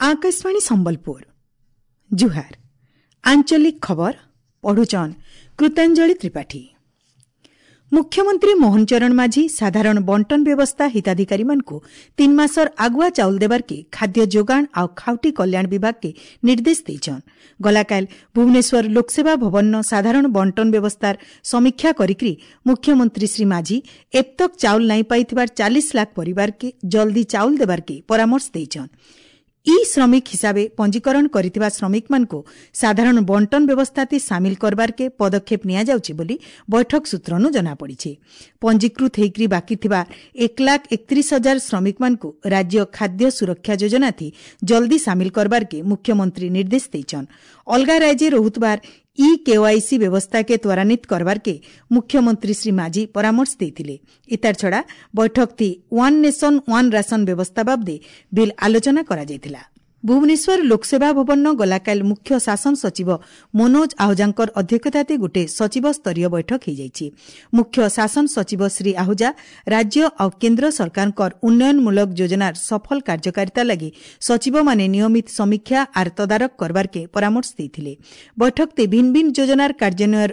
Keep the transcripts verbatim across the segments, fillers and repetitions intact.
ଆକାଶବାଣୀ ସମ୍ବଲପୁର ଜୁହାର ଆଞ୍ଚଳିକ ଖବର ପଢୁଛନ୍ କୃତାଞ୍ଜଳି ତ୍ରିପାଠୀ ମୁଖ୍ୟମନ୍ତ୍ରୀ ମୋହନ ଚରଣ ମାଝୀ ସାଧାରଣ ବଣ୍ଟନ ବ୍ୟବସ୍ଥା ହିତାଧିକାରୀମାନଙ୍କୁ ତିନି ମାସର ଆଗୁଆ ଚାଉଳ ଦେବାର୍କେ ଖାଦ୍ୟ ଯୋଗାଣ ଆଉ ଖାଉଟି କଲ୍ୟାଣ ବିଭାଗକେ ନିର୍ଦ୍ଦେଶ ଦେଇଛନ୍ ଗଲାକାଲ ଭୁବନେଶ୍ୱର ଲୋକସେବା ଭବନର ସାଧାରଣ ବଣ୍ଟନ ବ୍ୟବସ୍ଥାର ସମୀକ୍ଷା କରିକି ମୁଖ୍ୟମନ୍ତ୍ରୀ ଶ୍ରୀ ମାଝୀ ଏପ୍ତକ୍ ଚାଉଳ ନାଇଁ ପାଇଥିବାର ଚାଳିଶ ଲାଖ ପରିବାରକେ ଜଲ୍ଦି ଚାଉଳ ଦେବାର୍କେ ପରାମର୍ଶ ଦେଇଛନ୍ ଇ ଶ୍ରମିକ ହିସାବେ ପଞ୍ଜୀକରଣ କରିଥିବା ଶ୍ରମିକମାନଙ୍କୁ ସାଧାରଣ ବଣ୍ଟନ ବ୍ୟବସ୍ଥାତି ସାମିଲ କରବାର୍କେ ପଦକ୍ଷେପ ନିଆଯାଉଛି ବୋଲି ବୈଠକ ସୂତ୍ରନୁ ଜଣାପଡ଼ିଛି ପଞ୍ଜୀକୃତ ହେଇକରି ବାକି ଥିବା ଏକ ଲାଖ ଏକତିରିଶ ହଜାର ଶ୍ରମିକମାନଙ୍କୁ ରାଜ୍ୟ ଖାଦ୍ୟ ସୁରକ୍ଷା ଯୋଜନାଥି ଜଲ୍ଦି ସାମିଲ କରବାର୍କେ ମୁଖ୍ୟମନ୍ତ୍ରୀ ନିର୍ଦ୍ଦେଶ ଦେଇଛନ୍ ଅଲଗା ରାଜ୍ୟରେ ରହୁଥିବାର ଇ କେୱାଇସି ବ୍ୟବସ୍ଥାକେ ତ୍ୱରାନ୍ୱିତ କରବାର୍କେ ମୁଖ୍ୟମନ୍ତ୍ରୀ ଶ୍ରୀ ମାଝୀ ପରାମର୍ଶ ଦେଇଥିଲେ ଇତାର ଛଡ଼ା ବୈଠକଥି ୱାନ୍ ନେସନ୍ ୱାନ୍ ରାସନ ବ୍ୟବସ୍ଥା ବାବଦେ ବିଲ୍ ଆଲୋଚନା କରାଯାଇଥିଲା ଭୁବନେଶ୍ୱର ଲୋକସେବା ଭବନ ଗଲାକାଲ ମୁଖ୍ୟ ଶାସନ ସଚିବ ମନୋଜ ଆହୁଜାଙ୍କର ଅଧ୍ୟକ୍ଷତାରେ ଗୋଟିଏ ସଚିବ ସ୍ତରୀୟ ବୈଠକ ହୋଇଯାଇଛି ମୁଖ୍ୟ ଶାସନ ସଚିବ ଶ୍ରୀ ଆହୁଜା ରାଜ୍ୟ ଆଉ କେନ୍ଦ୍ର ସରକାରଙ୍କର ଉନ୍ନୟନମୂଳକ ଯୋଜନାର ସଫଳ କାର୍ଯ୍ୟକାରିତା ଲାଗି ସଚିବମାନେ ନିୟମିତ ସମୀକ୍ଷା ଆର୍ ତଦାରଖ କରବାର୍କେ ପରାମର୍ଶ ଦେଇଥିଲେ ବୈଠକରେ ଭିନ୍ନ ଭିନ୍ନ ଯୋଜନାର କାର୍ଯ୍ୟାନ୍ୱୟର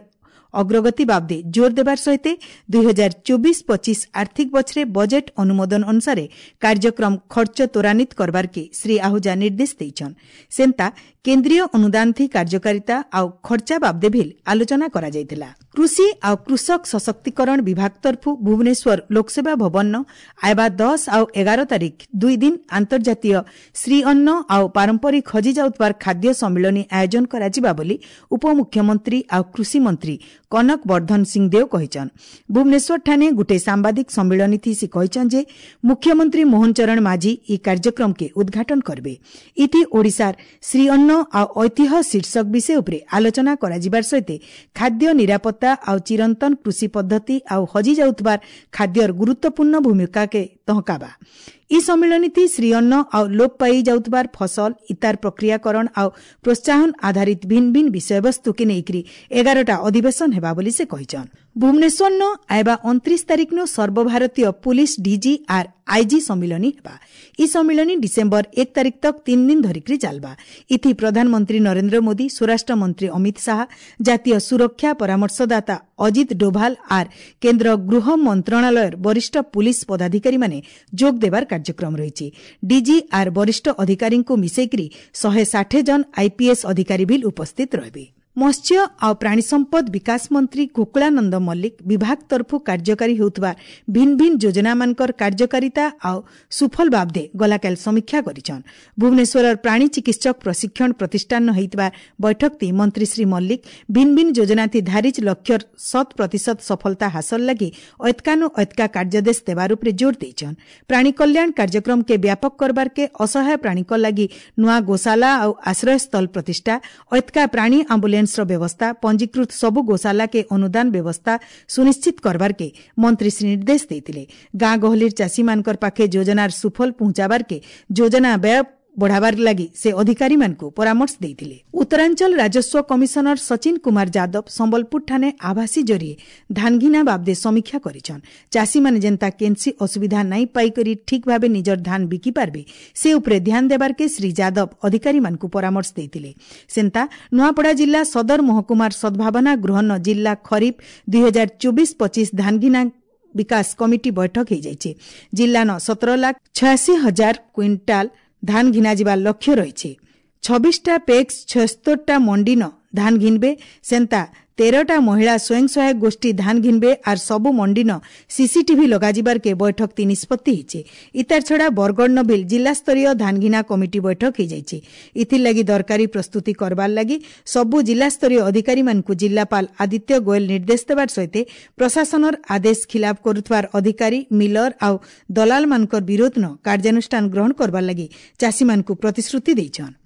ଅଗ୍ରଗତି ବାବଦେ ଜୋର ଦେବାର ସହିତ ଦୁଇ ହଜାର ଚବିଶ ପଚିଶ ଆର୍ଥିକ ବଛରେ ବଜେଟ୍ ଅନୁମୋଦନ ଅନୁସାରେ କାର୍ଯ୍ୟକ୍ରମ ଖର୍ଚ୍ଚ ତ୍ୱରାନ୍ୱିତ କରବାର୍କେ ଶ୍ରୀ ଆହୁଜା ନିର୍ଦ୍ଦେଶ ଦେଇଛନ୍ ସେନ୍ତା କେନ୍ଦ୍ରୀୟ ଅନୁଦାନଥି କାର୍ଯ୍ୟକାରିତା ଆଉ ଖର୍ଚ୍ଚା ବାବଦେ ଭିଲ୍ ଆଲୋଚନା କରାଯାଇଥିଲା କୃଷି ଆଉ କୃଷକ ସଶକ୍ତିକରଣ ବିଭାଗ ତରଫୁ ଭୁବନେଶ୍ୱର ଲୋକସେବା ଭବନ ଆଇବା ଦଶ ଆଉ ଏଗାର ତାରିଖ ଦୁଇ ଦିନ ଆନ୍ତର୍ଜାତୀୟ ଶ୍ରୀଅନ୍ନ ଆଉ ପାରମ୍ପରିକ ହଜି ଯାଉଥିବାର ଖାଦ୍ୟ ସମ୍ମିଳନୀ ଆୟୋଜନ କରାଯିବା ବୋଲି ଉପମୁଖ୍ୟମନ୍ତ୍ରୀ ଆଉ କୃଷିମନ୍ତ୍ରୀ କନକ ବର୍ଦ୍ଧନ ସିଂଦେଓ କହିଛନ୍ ଭୁବନେଶ୍ୱରଠାନେ ଗୋଟିଏ ସାମ୍ବାଦିକ ସମ୍ମିଳନୀଥି ସେ କହିଛନ୍ ଯେ ମୁଖ୍ୟମନ୍ତ୍ରୀ ମୋହନ ଚରଣ ମାଝୀ ଇ କାର୍ଯ୍ୟକ୍ରମକେ ଉଦ୍ଘାଟନ କରିବେ ଇଥି ଓଡ଼ିଶାର ଶ୍ରୀଅନ୍ନ ଆଉ ଐତିହ୍ୟ ଶୀର୍ଷକ ବିଷୟ ଉପରେ ଆଲୋଚନା କରାଯିବାର ସହିତ ଖାଦ୍ୟ ନିରାପତ୍ତା ଆଉ ଚିରନ୍ତନ କୃଷି ପଦ୍ଧତି ଆଉ ହଜି ଯାଉଥିବାର ଖାଦ୍ୟର ଗୁରୁତ୍ୱପୂର୍ଣ୍ଣ ଭୂମିକାକେ ତହକାବା ଇ ସମ୍ମିଳନୀଥି ଶ୍ରୀଅନ୍ନ ଆଉ ଲୋପ ପାଇ ଯାଉଥିବାର ଫସଲ ଇତାର ପ୍ରକ୍ରିୟାକରଣ ଆଉ ପ୍ରୋତ୍ସାହନ ଆଧାରିତ ଭିନ୍ନ ଭିନ୍ନ ବିଷୟବସ୍ତୁକେ ନେଇକରି ଏଗାରଟା ଅଧିବେଶନ ହେବା ବୋଲି ସେ କହିଛନ୍ ଭୁବନେଶ୍ୱରନ ଆଇବା ଅଣତିରିଶ ତାରିଖନୁ ସର୍ବଭାରତୀୟ ପୁଲିସ ଡିଜି ଆର୍ ଆଇଜି ସମ୍ମିଳନୀ ହେବା ଇ ସମ୍ମିଳନୀ ଡିସେମ୍ବର ଏକ ତାରିଖ ତକ ତିନି ଦିନ ଧରିକରି ଚାଲବା ଇଥି ପ୍ରଧାନମନ୍ତ୍ରୀ ନରେନ୍ଦ୍ର ମୋଦି ସ୍ୱରାଷ୍ଟ୍ର ମନ୍ତ୍ରୀ ଅମିତ ଶାହା ଜାତୀୟ ସୁରକ୍ଷା ପରାମର୍ଶଦାତା ଅଜିତ ଡୋଭାଲ ଆର୍ କେନ୍ଦ୍ର ଗୃହ ମନ୍ତ୍ରଣାଳୟର ବରିଷ୍ଠ ପୁଲିସ ପଦାଧିକାରୀମାନେ ଯୋଗ ଦେବାର କାର୍ଯ୍ୟକ୍ରମ ରହିଛି ଡିଜି ଆର୍ ବରିଷ୍ଠ ଅଧିକାରୀଙ୍କୁ ମିଶେଇକରି ଶହେ ଷାଠିଏ ଜଣ ଆଇପିଏସ୍ ଅଧିକାରୀ ବିଲ୍ ଉପସ୍ଥିତ ରହିବେ ମତ୍ସ୍ୟ ଆଉ ପ୍ରାଣୀ ସମ୍ପଦ ବିକାଶ ମନ୍ତ୍ରୀ ଗୋକୁଳାନନ୍ଦ ମଲ୍ଲିକ ବିଭାଗ ତରଫୁ କାର୍ଯ୍ୟକାରୀ ହେଉଥିବା ଭିନ୍ନ ଭିନ୍ନ ଯୋଜନାମାନଙ୍କର କାର୍ଯ୍ୟକାରିତା ଆଉ ସୁଫଳ ବାବଦେ ଗଲାକାଲ ସମୀକ୍ଷା କରିଛନ୍ ଭୁବନେଶ୍ୱରର ପ୍ରାଣୀ ଚିକିତ୍ସକ ପ୍ରଶିକ୍ଷଣ ପ୍ରତିଷ୍ଠାନ ହୋଇଥିବା ବୈଠକଟି ମନ୍ତ୍ରୀ ଶ୍ରୀ ମଲ୍ଲିକ ଭିନ୍ନ ଭିନ୍ନ ଯୋଜନାଥି ଧାରିଜ ଲକ୍ଷ୍ୟର ଶତ ପ୍ରତିଶତ ସଫଳତା ହାସଲ ଲାଗି ଐତ୍କାନୁ ଐତ୍କା କାର୍ଯ୍ୟାଦେଶ ଦେବାର ଉପରେ ଜୋର ଦେଇଛନ୍ ପ୍ରାଣୀ କଲ୍ୟାଣ କାର୍ଯ୍ୟକ୍ରମକେ ବ୍ୟାପକ କରବାର୍କେ ଅସହାୟ ପ୍ରାଣୀଙ୍କ ଲାଗି ନୂଆ ଗୋଶାଲା ଆଉ ଆଶ୍ରୟସ୍ଥଳ ପ୍ରତିଷ୍ଠା ଐତ୍କା ପ୍ରାଣୀ ଆମ୍ବୁଲାନ୍ସ ବ୍ୟବସ୍ଥା ପଞ୍ଜୀକୃତ ସବୁ ଗୋଶାଲାକେ ଅନୁଦାନ ବ୍ୟବସ୍ଥା ସୁନିଶ୍ଚିତ କରବାର୍କେ ମନ୍ତ୍ରୀ ଶ୍ରୀ ନିର୍ଦ୍ଦେଶ ଦେଇଥିଲେ ଗାଁ ଗହଳିର ଚାଷୀମାନଙ୍କର ପାଖେ ଯୋଜନାର ସୁଫଳ ପହଞ୍ଚାବାର୍କେ ଯୋଜନା ବ୍ୟୟ ବଢ଼ାବାର ଲାଗି ସେ ଅଧିକାରୀମାନଙ୍କୁ ପରାମର୍ଶ ଦେଇଥିଲେ ଉତ୍ତରାଞ୍ଚଳ ରାଜସ୍ୱ କମିଶନର ସଚିନ କୁମାର ଯାଦବ ସମ୍ବଲପୁରଠାନେ ଆଭାସୀ ଜରିଏ ଧାନଘିନା ବାବଦେ ସମୀକ୍ଷା କରିଛନ୍ ଚାଷୀମାନେ ଯେନ୍ତା କେନ୍ସି ଅସୁବିଧା ନାଇଁ ପାଇକରି ଠିକ୍ ଭାବେ ନିଜର ଧାନ ବିକି ପାରବେ ସେ ଉପରେ ଧ୍ୟାନ ଦେବାର୍କେ ଶ୍ରୀ ଯାଦବ ଅଧିକାରୀମାନଙ୍କୁ ପରାମର୍ଶ ଦେଇଥିଲେ ସେନ୍ତା ନୂଆପଡ଼ା ଜିଲ୍ଲା ସଦର ମହକୁମାର ସଦ୍ଭାବନା ଗୃହନ ଜିଲ୍ଲା ଖରିଫ ଦୁଇ ହଜାର ଚବିଶ ପଚିଶ ଧାନଘିନା ବିକାଶ କମିଟି ବୈଠକ ହୋଇଯାଇଛି ଜିଲ୍ଲାନ ସତର ଲାଖ ଛୟାଅଶୀ ହଜାର କ୍ୱିଣ୍ଟାଲ ଧାନ ଘିନାଯିବା ଲକ୍ଷ୍ୟ ରହିଛି ଛବିଶଟା ପେକ୍ସ ଛୟସ୍ତରଟା ମଣ୍ଡିନ ଧାନ ଘିନବେ ସେନ୍ତା ତେରଟା ମହିଳା ସ୍ୱୟଂ ସହାୟକ ଗୋଷ୍ଠୀ ଧାନ ଘିନବେ ଆର୍ ସବୁ ମଣ୍ଡିନ ସିସିଟିଭି ଲଗାଯିବାର୍କେ ବୈଠକତି ନିଷ୍ପତ୍ତି ହେଇছে ଇତାର ଛଡ଼ା ବରଗଡ଼ ନବିଲ ଜିଲ୍ଲାସ୍ତରୀୟ ଧାନଘିନା କମିଟି ବୈଠକ ହେଇଯାଇଛି ଇଥିର୍ଲାଗି ଦରକାରୀ ପ୍ରସ୍ତୁତି କରବାର୍ ଲାଗି ସବୁ ଜିଲ୍ଲାସ୍ତରୀୟ ଅଧିକାରୀମାନଙ୍କୁ ଜିଲ୍ଲାପାଳ ଆଦିତ୍ୟ ଗୋଏଲ ନିର୍ଦ୍ଦେଶ ଦେବାର ସହିତ ପ୍ରଶାସନର ଆଦେଶ ଖିଲାପ କରୁଥିବାର ଅଧିକାରୀ ମିଲର ଆଉ ଦଲାଲମାନଙ୍କର ବିରୋଧନ କାର୍ଯ୍ୟାନୁଷ୍ଠାନ ଗ୍ରହଣ କରବାର୍ ଲାଗି ଚାଷୀମାନଙ୍କୁ ପ୍ରତିଶ୍ରୁତି ଦେଇଛନ୍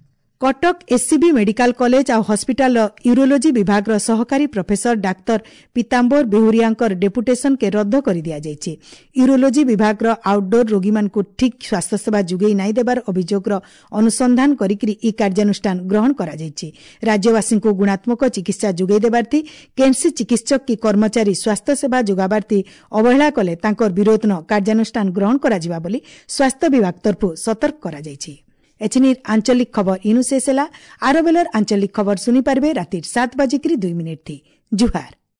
କଟକ ଏସ୍ସିବି ମେଡିକାଲ କଲେଜ ଆଉ ହସ୍ପିଟାଲର ୟୁରୋଲୋଜି ବିଭାଗର ସହକାରୀ ପ୍ରଫେସର ଡାକ୍ତର ପୀତାମ୍ବର ବେହୁରିଆଙ୍କର ଡେପୁଟେସନକେ ରଦ୍ଦ କରିଦିଆଯାଇଛି ୟୁରୋଲୋଜି ବିଭାଗର ଆଉଟଡୋର ରୋଗୀମାନଙ୍କୁ ଠିକ୍ ସ୍ୱାସ୍ଥ୍ୟସେବା ଯୋଗାଇ ନାଇଁ ଦେବାର ଅଭିଯୋଗର ଅନୁସନ୍ଧାନ କରିକି ଇ କାର୍ଯ୍ୟାନୁଷ୍ଠାନ ଗ୍ରହଣ କରାଯାଇଛି ରାଜ୍ୟବାସୀଙ୍କୁ ଗୁଣାତ୍ମକ ଚିକିତ୍ସା ଯୋଗାଇ ଦେବାର୍ଥି କେନ୍ସି ଚିକିତ୍ସକ କି କର୍ମଚାରୀ ସ୍ୱାସ୍ଥ୍ୟସେବା ଯୋଗାବାର୍ଥି ଅବହେଳା କଲେ ତାଙ୍କର ବିରୋଧନ କାର୍ଯ୍ୟାନୁଷ୍ଠାନ ଗ୍ରହଣ କରାଯିବା ବୋଲି ସ୍ୱାସ୍ଥ୍ୟ ବିଭାଗ ତରଫରୁ ସତର୍କ କରାଯାଇଛି ଏଛିନିର ଆଞ୍ଚଳିକ ଖବର ଇନୁ ଶେଷ ହେଲା। ଆର ବେଲର ଆଞ୍ଚଳିକ ଖବର ଶୁନି ପାରବେ ରାତିର ସାତ ବାଜିକିରି ଦୁଇ ମିନିଟ୍ ଥି। ଜୁହାର।